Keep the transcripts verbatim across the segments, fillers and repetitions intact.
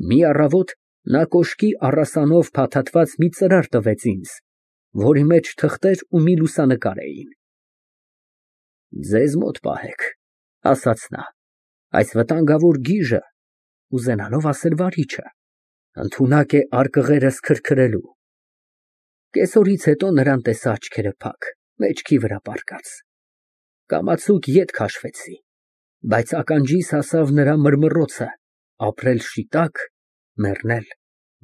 Մի առավոտ նա կոշկի առասանով փաթաթված մի ծրար տվեց ինձ, որի մեջ թղթեր ու մի լուսանկար էին։ «Ձեզ մոտ պահեք», ասաց նա, «այս վտանգավոր գիժը (ուզենալով ասել վարիչը) ընդունակ է արկղերս քրքրելու»։ Կեսօրից հետո նրան տեսա աչքերը փակ, մեջքի վրա պառկած։ Կամացուկ ետ քաշվեցի, բայց ականջիս հասավ նրա մռմռոցը՝ ապրել շիտակ, մեռնել,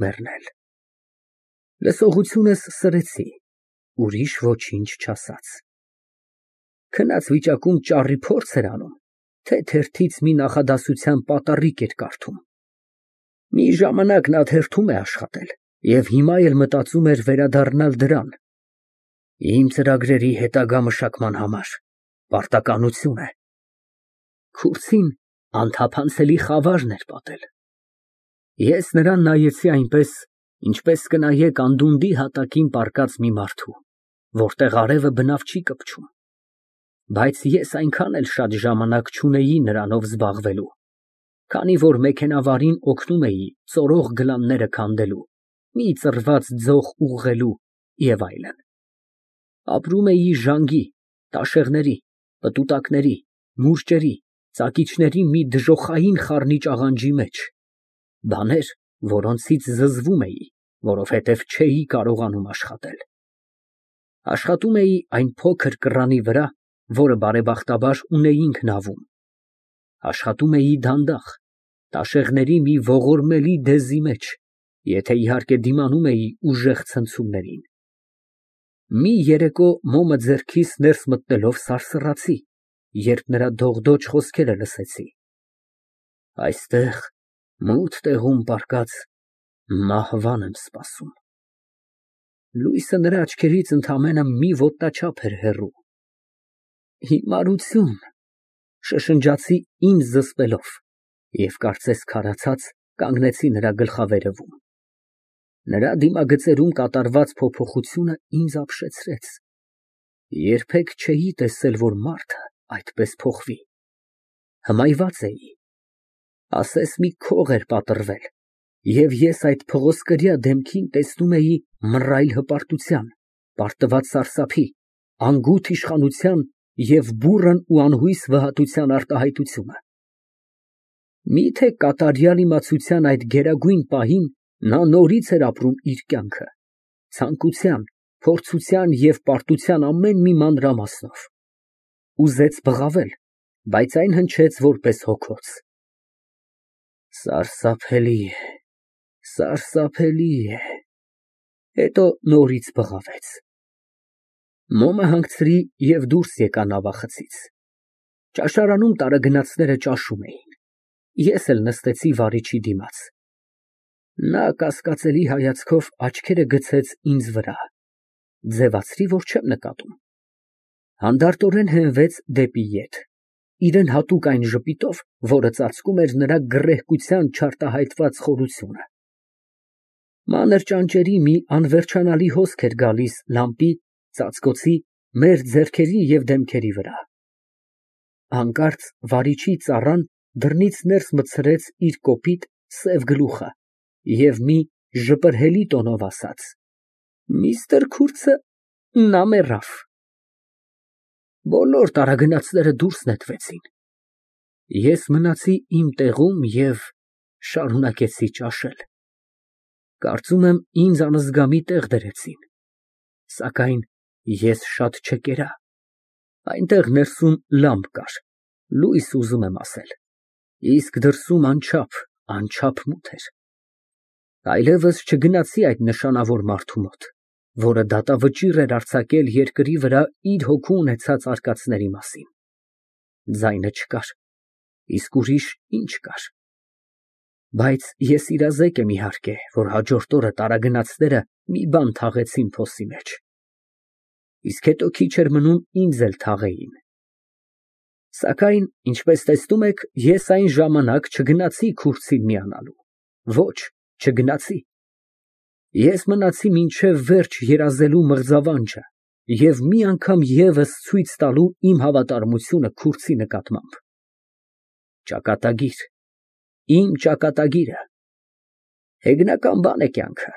մեռնել։ Լսողությունս սրեցի, ուրիշ ոչինչ չասաց։ Քնած վիճակում ճառի փորձ էր անում, թե թերթից մի նախադասության պատառիկ էր կարդում։ Մի ժամանակ նա թերթում է աշխատել և հիմա էլ մտածում էր վերադառնալ դրան։ Իմ ծրագրերի հետագա մշակման համար պարտականություն է։ Քուրձին անթափանցելի խավարն էր պատել։ Ես նրան նայեցի այնպես, ինչպես կնայեք անդունդի հատակին պառկած մի մարդու, որտեղ արևը բնավ չի կպչում։ Բայց ես այնքան էլ շատ ժամանակ չունեի նրանով զբաղվելու, քանի որ մեքենավարին օգնում էի ծորող գլանները քանդելու, մի ծռված ձող ուղղելու և այլն։ Ապրում էի ժանգի, տաշեղների, պտուտակների, մուրճերի, ծակիչների մի դժոխային խառնիչ աղանջի մեջ, բաներ, որոնցից զզվում էի, որովհետև չէի կարողանում աշխատել։ Աշխատում էի այն փոքր կռանի վրա, որը բարեբախտաբար ունեինք նավում։ Աշխատում էի դանդաղ, տաշեղների մի ողորմելի դեզի մեջ, եթե իհարկե դիմանում էի ուժեղ ցնցումներին։ Մի երեկո մոմը ձեռքիս ներս մտնելով սարսռացի, երբ նրա դողդոջ խոսքերը լսեցի. «Այստեղ, մութ տեղում պառկած, մահվան եմ սպասում»։ Լույսը նրա աչքերից ընդամենը մի ոտնաչափ էր հեռու։ «Հիմարություն», շշնջացի ինձ զսպելով և, կարծես քարացած, կանգնեցի նրա գլխավերևում։ Նրա դիմագծերում կատարված փոփոխությունը ինձ ապշեցրեց։ Երբեք չէի տեսել, որ մարդը այդպես փոխվի։ Հմայված էի։ Ասես մի քող էր պատռվել, և ես այդ փղոսկրյա դեմքին տեսնում էի մռայլ հպարտության, պարտված սարսափի, անգութ իշխանության և բուռն ու անհույս վհատության արտահայտությունը։ Միթե կատարյալ իմացության այդ գերագույն պահին նա նորից էր ապրում իր կյանքը, ցանկության, փորձության և պարտության ամեն մի մանրամասնով։ Ուզեց բղավել, բայց այն հնչեց որպես հոգոց։ Սարսափելի է, սարսափելի է։ Հետո նորից բղավեց։ Մոմը հանգցրի և դուրս եկա նավախցից։ Ճաշարանում տարագնացները ճաշում էին։ Ես էլ նստեցի վարիչի դիմաց։ Նա կասկածելի հայացքով աչքերը գցեց ինձ վրա, ձևացրի, որ չեմ նկատում։ Հանդարտորեն հենվեց դեպի ետ, իրան հատուկ այն ժպիտով, որը ծածկում էր նրա գռեհկության չարտահայտված խորությունը։ Մանր ճանճերի մի անվերջանալի հոսք էր գալիս լամպի, ծածկոցի, մեր ձեռքերի և դեմքերի վրա։ Հանկարծ վարիչի ծառան դռնից ներս մտցրեց իր կոպիտ, սև գլուխը և մի ժպրհելի տոնով ասաց. «Միստր Քուրցը, նա մեռավ»։ Բոլոր տարագնացները դուրս նետվեցին։ Ես մնացի իմ տեղում և շարունակեցի ճաշել։ Կարծում եմ ինձ անզգամի տեղ դրեցին, սակայն ես շատ չկերա։ Այնտեղ ներսում լամպ կար, լույս ուզում եմ ասել, իսկ դրսում անչափ, անչափ մութ էր։ Այլևս չգնացի այդ նշանավոր մարդու մոտ, որը դատավճիռ էր արձակել երկրի վրա իր հոգու ունեցած արկածների մասին։ Ձայնը չկար, իսկ ուրիշ ինչ կար։ Բայց ես իրազեկ եմ, իհարկե, որ հաջորդ օրը տարագնացները մի բան թաղեցին փոսի մեջ։ Իսկ հետո քիչ էր մնում ինձ էլ թաղեին։ Սակայն, ինչպես տեսնում եք, ես այն ժամանակ չգնացի Քուրդին միանալու։ Ոչ, չգնացի։ Ես մնացի մինչև վերջ երազելու մղձավանջը և մի անգամ ևս ցույց տալու իմ հավատարմությունը Քուրդի նկատմամբ։ Ճակատագիր, իմ ճակատագիրը։ Հեգնական բան է կյանքը,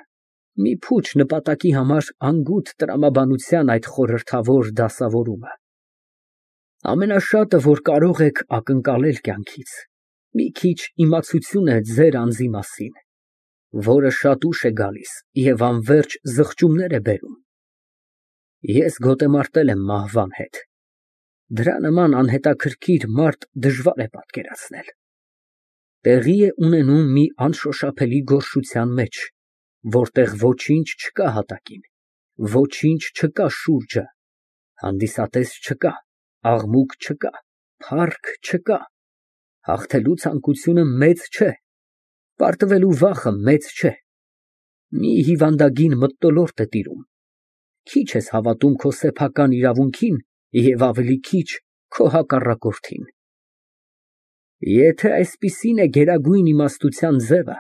մի փուչ նպատակի համար անգութ տրամաբանության այդ խորհրդավոր դասավորումը։ Ամենաշատը, որ կարող եք ակնկալել կյանքից, մի քիչ իմացություն է ձեր անձի մասին, որը շատ ուշ է գալիս և անվերջ զղջումներ է բերում։ Ես գոտեմարտել եմ մահվան հետ, դրա նման անհետաքրքիր մարդ դժվար է պատկերացնել։ Տեղի է ունենում մի անշոշափելի գոռշության մեջ, որտեղ ոչինչ չկա հատակին, ոչինչ չկա շուրջը, հանդիսատես չկա, աղմուկ չկա, փառք չկա, հաղթելու ցանկությունը մեծ չէ, պարտվելու վախը մեծ չէ, մի հիվանդագին մթնոլորտ է տիրում, քիչ ես հավատում քո սեփական իրավունքին և ավելի քիչ քո հակառակորդին։ Եթե այսպիսին է գերագույն իմաստության ձևը,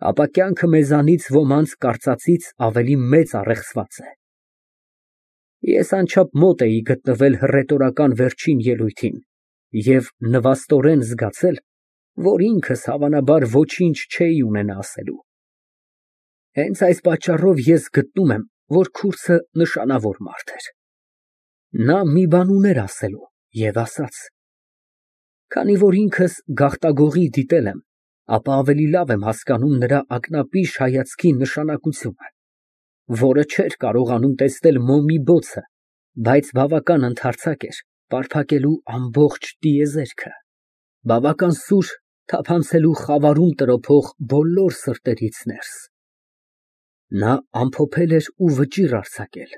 ապա կյանքը մեզանից ոմանց կարծածից ավելի մեծ առեղծված է։ Ես անչափ մոտ էի գտնվել հռետորական վերջին ելույթին և նվաստորեն զգացել, որ ինքս հավանաբար ոչինչ չէի ունենա ասելու։ Հենց այս պատճառով ես գտնում եմ, որ քուրդը նշանավոր մարդ էր։ Նա մի բան ուներ ասելու և ասաց։ Քանի որ ինքս գաղտագողի դիտել եմ, ապա ավելի լավ եմ հասկանում նրա ակնապիշ հայացքի նշանակությունը, որը չէր կարողանում տեսնել մոմի բոցը, բայց բավական ընդարձակ էր պարփակելու ամբողջ տիեզերքը, բավական սուր թափանցելու խավարում տրոփող բոլոր սրտերից ներս։ Նա ամփոփել էր ու վճիռ արձակել,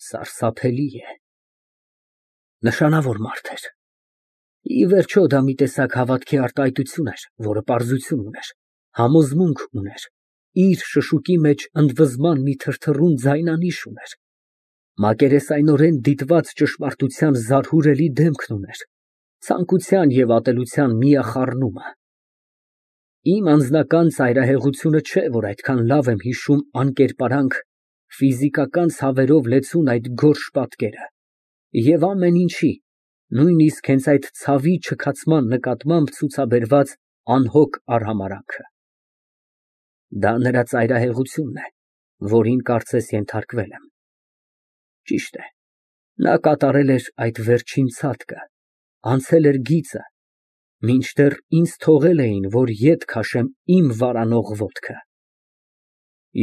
սարսափելի է։ Նշանավոր մարդ էր։ Ի վերջո, դա մի տեսակ հավատքի արտահայտություն էր, որը պարզություն ուներ, համոզմունք ուներ, իր շշուկի մեջ ընդվզման մի թրթռուն ձայնանիշ ուներ, մակերեսայնորեն դիտված ճշմարտության զարհուրելի դեմքն ուներ, ցանկության և ատելության միախառնումը։ Իմ անձնական ծայրահեղությունը չէ, որ այդքան լավ եմ հիշում անկերպարանք, ֆիզիկական ցավերով լեցուն այդ գորշ պատկերը և ամեն ինչի, նույնիսկ հենց այդ ցավի չքացման նկատմամբ ցուցաբերված անհոգ արհամարհանքը։ Դա նրա ծայրահեղությունն է, որին կարծես ենթարկվել եմ։ Ճիշտ է, նա կատարել էր այդ վերջին ցատկը, անցել էր գիծը, մինչդեռ ինձ թողել էին, որ ետ քաշեմ իմ վարանող ոտքը։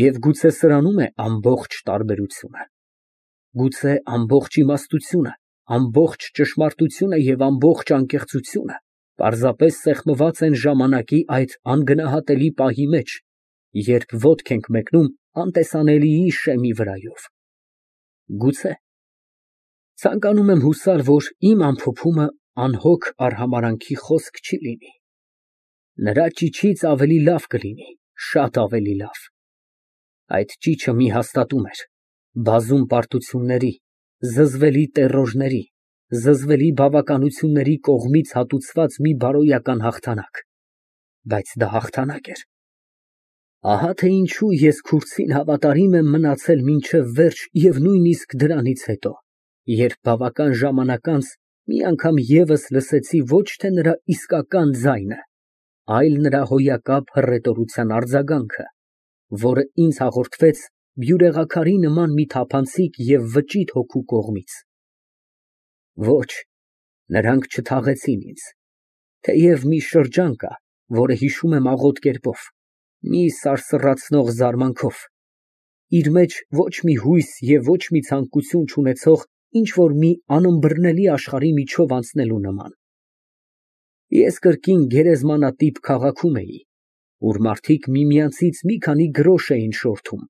Եվ գուցե սրանում է ամբողջ տարբերությունը, գուցե ամբողջ իմաստությունը, ամբողջ ճշմարտությունը և ամբողջ անկեղծությունը պարզապես սեղմված են ժամանակի այդ անգնահատելի պահի մեջ, երբ ոտք ենք մեկնում անտեսանելիի շեմի վրայով։ Գուցե։ Ցանկանում եմ հուսալ, որ իմ ամփոփումը անհոգ արհամարհանքի խոսք չի լինի։ Նրա ճիչից ավելի լավ կլինի, շատ ավելի լավ։ Այդ ճիչը մի հաստատում էր, բազում պարտությունների, զզվելի տերորների, զզվելի բավականությունների կողմից հատուցված մի բարոյական հաղթանակ, բայց դա հաղթանակ էր։ Ահա թե ինչու ես քուրդին հավատարիմ եմ մնացել մինչև վերջ և նույնիսկ դրանից հետո, երբ բավական ժամանակ անց մի անգամ ևս լսեցի ոչ թե նրա իսկական ձայնը, այլ նրա հոյակապ հռետորության արձագանքը, որը ինձ հաղորդվեց բյուրեղաքարի նման մի թափանցիկ և վճիտ հոգու կողմից։ Ոչ, նրանք չթաղեցին ինձ, թեև մի շրջան կա, որը հիշում եմ աղոտ կերպով, մի սարսռացնող զարմանքով, իր մեջ ոչ մի հույս և ոչ մի ցանկություն չունեցող ինչ֊որ մի անըմբռնելի աշխարհի միջով անցնելու նման։ Ես կրկին գերեզմանատիպ քաղաքում էի, ուր մարդիկ միմյանցից մի քանի գրոշ էին շորթում,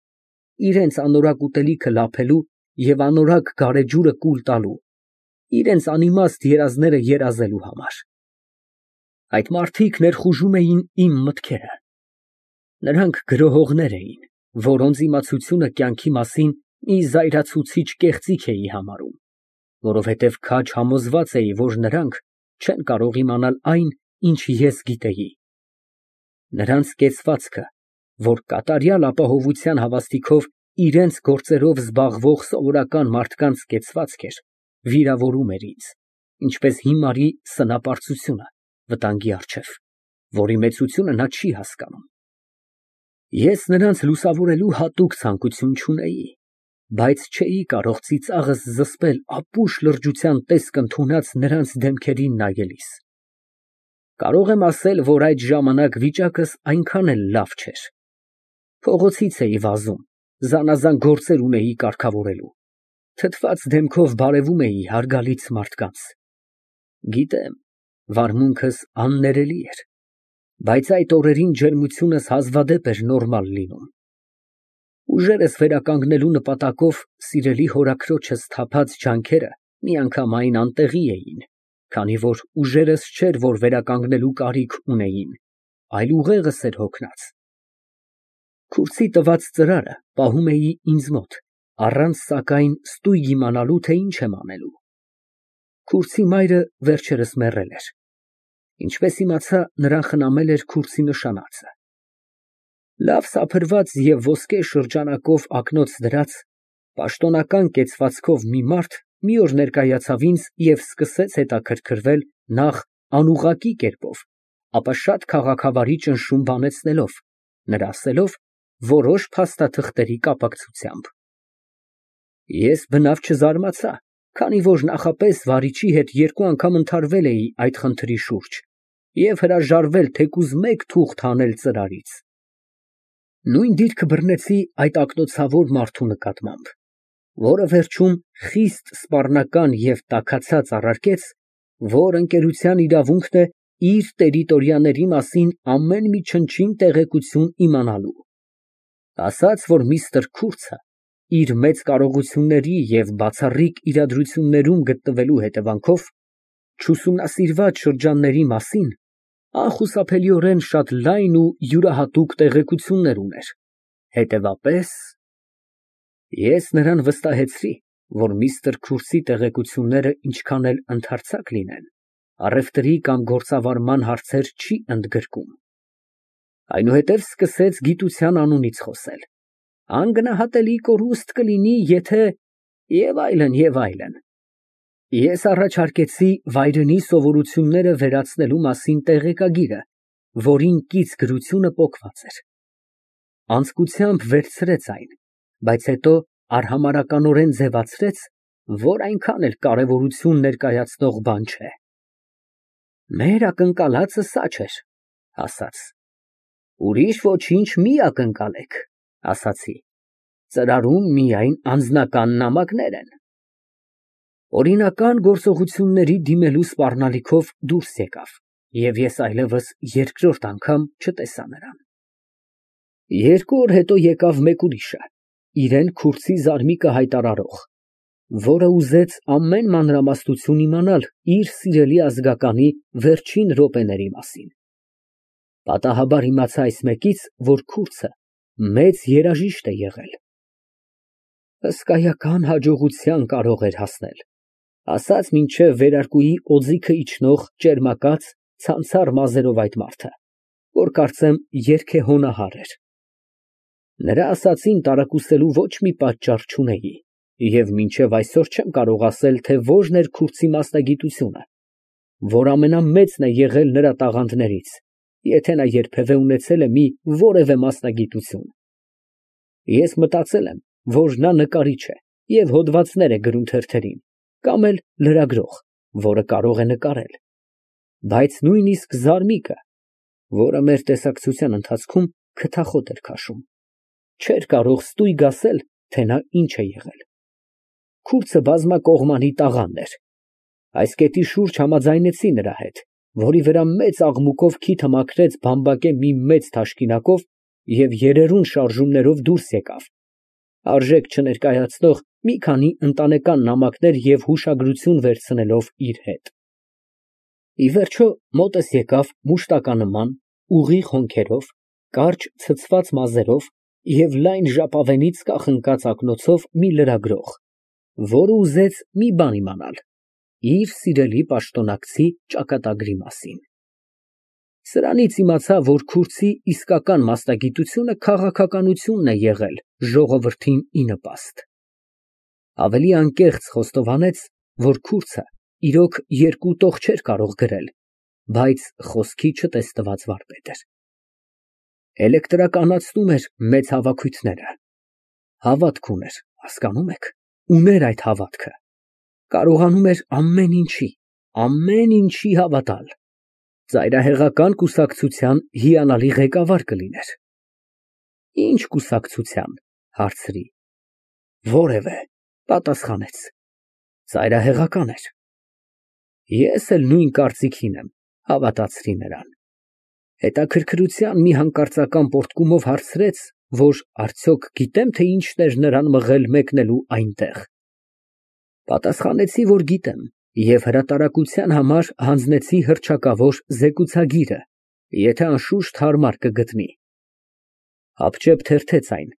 իրենց անորակ ուտելիքը լափելու և անորակ գարեջուրը կուլ տալու, իրենց անիմաստ երազները երազելու համար։ Այդ մարդիկ ներխուժում էին իմ մտքերը։ Նրանք գրոհողներ էին, որոնց իմացությունը կյանքի մասին մի զայրացուցիչ կեղծիք էի համարում, որովհետև քաջ համոզված էի, որ նրանք չեն կարող իմանալ այն, ինչ ես գիտեի։ Նրանց կեցվածքը, որ կատարյալ ապահովության հավաստիքով իրենց գործերով զբաղվող սովորական մարդկանց կեցվածք էր, վիրավորում էր ինձ, ինչպես հիմարի սնապարծությունը վտանգի առջև, որի մեծությունը նա չի հասկանում։ Ես նրանց լուսավորելու հատուկ ցանկություն չունեի, բայց չէի կարող ծիծաղս զսպել ապուշ լրջության տեսք ընդունած նրանց դեմքերին նայելիս։ Կարող եմ ասել, որ այդ ժամանակ վիճակս այնքան էլ լավ չէր։ Փողոցից էի վազում, զանազան գործեր ունեի կարգավորելու, թթված դեմքով բարևում էի հարգալից մարդկանց։ Գիտեմ, վարմունքս աններելի էր, բայց այդ օրերին ջերմությունս հազվադեպ էր նորմալ լինում։ Ուժերս վերականգնելու նպատակով սիրելի հորաքրոջս թափած ջանքերը միանգամայն անտեղի էին, քանի որ ուժերս չէր, որ վերականգնելու կարիք ունեին, այլ ուղեղս էր հոգնած։ Քուրձի տված ծրարը պահում էի ինձ մոտ, առանց սակայն ստույգ իմանալու, թե ինչ եմ անելու։ Քուրձի մայրը վերջերս մեռել էր։ Ինչպես իմացա, նրան խնամել էր քուրձի նշանածը։ Լավ սափրված և ոսկե շրջանակով ակնոց դրած, պաշտոնական կեցվածքով մի մարդ մի օր ներկայացավ ինձ և սկսեց հետաքրքրվել նախ անուղղակի կերպով, ապա շատ քաղաքավարի ճնշում բանեցնելով, նրա ասելով որոշ փաստաթղթերի կապակցությամբ։ Ես բնավ չզարմացա, քանի որ նախապես վարիչի հետ երկու անգամ ընդհարվել էի այդ խնդրի շուրջ և հրաժարվել թեկուզ մեկ թուղթ հանել ծրարից։ Նույն դիրքը բռնեցի այդ ակնոցավոր մարդու նկատմամբ, որը վերջում խիստ սպառնական և տաքացած առարկեց, որ ընկերության իրավունքն է իր տերիտորիաների մասին ամեն մի չնչին տեղեկություն իմանալու։ Ասաց, որ միստր Քուրցը իր մեծ կարողությունների և բացառիկ իրադրություններում գտնվելու հետևանքով չուսումնասիրված շրջանների մասին անխուսափելիորեն շատ լայն ու յուրահատուկ տեղեկություններ ուներ, հետևապես… Ես նրան վստահեցրի, որ միստր Քուրցի տեղեկությունները ինչքան էլ ընդհարցակ լինեն, առևտրի կամ գործավարման հարցեր չի ընդգրկում։ Այնուհետև սկսեց գիտության անունից խոսել, անգնահատելի կորուստ կլինի, եթե… և այլն, և այլն։ Ես առաջարկեցի վայրենի սովորությունները վերացնելու մասին տեղեկագիրը, որին կից գրությունը պոկված էր։ Անձկությամբ վերցրեց այն, բայց հետո արհամարհականորեն ձևացրեց, որ այնքան էլ կարևորություն ներկայացնող բան չէ։ Մեր ակնկալածը սա չէր, ասաց։ Ուրիշ ոչինչ մի ակնկալեք, ասացի, ծրարում միայն անձնական նամակներ են։ Օրինական գործողությունների դիմելու սպառնալիքով դուրս եկավ, և ես այլևս երկրորդ անգամ չտեսա նրան։ Երկու օր հետո եկավ մեկ ուրիշը, իրեն Քուրցի զարմիկը հայտարարող, որը ուզեց ամեն մանրամասնություն իմանալ իր սիրելի ազգականի վերջին րոպեների մասին։ Պատահաբար իմացա այս մեկից, որ Քուրցը մեծ երաժիշտ է եղել։ Հսկայական հաջողության կարող էր հասնել, ասաց մինչև վերարկուի օձիքը իջնող ճերմակած, ցանցառ մազերով այդ մարդը, որ կարծեմ երգեհոնահար էր։ Նրա ասածին տարակուսելու ոչ մի պատճառ չունեի, և մինչև այսօր չեմ կարող ասել, թե որն էր Քուրցի մասնագիտությունը, որ ամենամեծն է եղել նրա տաղանդներից, եթե նա երբևէ ունեցել է մի որևէ մասնագիտություն։ Ես մտածել եմ, որ նա նկարիչ է և հոդվածներ է գրում թերթերին, կամ էլ լրագրող, որը կարող է նկարել, բայց նույնիսկ զարմիկը, որը մեր տեսակցության ընթացքում քթախոտ էր քաշում, չէր կարող ստույգ ասել, թե նա ինչ է եղել։ Քուրցը բազմակողմանի տաղանդ էր։ Այս կետի շուրջ համաձայնեցի նրա հետ, որի վրա մեծ աղմուկով քիթը մաքրեց բամբակե մի մեծ թաշկինակով և երերուն շարժումներով դուրս եկավ, արժեք չներկայացնող մի քանի ընտանեկան նամակներ և հուշագրություն վերցնելով իր հետ։ Ի վերջո, մոտս եկավ մուշտականման, ուղիղ հոնքերով, կարճ ցցված մազերով և լայն ժապավենից կախնկած ակնոցով մի լրագրող, որը ուզեց մի բան իմանալ իր սիրելի պաշտոնակցի ճակատագրի մասին։ Սրանից իմացա, որ Քուրցի իսկական մասնագիտությունը քաղաքականությունն է եղել ժողովրդին ի նպաստ։ Ավելի անկեղծ խոստովանեց, որ Քուրցը իրոք երկու տող չէր կարող գրել, բայց խոսքի չտեսնված վարպետ էր։ Էլեկտրականացնում էր մեծ հավաքույթները։ Հավատք ուներ, հասկանում եք, ուներ այդ հավատքը, կարողանում էր ամեն ինչի, ամեն ինչի հավատալ, ծայրահեղական կուսակցության հիանալի ղեկավար կլիներ։ Ինչ կուսակցության, հարցրի։ Որևէ, պատասխանեց, ծայրահեղական էր։ Ես էլ նույն կարծիքին եմ, հավատացրի նրան։ Հետաքրքրության մի հանկարծական պոռթկումով հարցրեց, որ արդյոք գիտեմ, թե ինչն էր նրան մղել մեկնելու այնտեղ։ Պատասխանեցի, որ գիտեմ, և հրատարակության համար հանձնեցի հռչակավոր զեկուցագիրը, եթե անշուշտ հարմար կգտնի։ Հապճեպ թերթեց այն,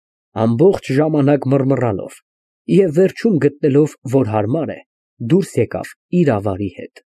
ամբողջ ժամանակ մռմռալով, և վերջում գտնելով, որ հարմար է, դուրս եկավ իր ավարի հետ։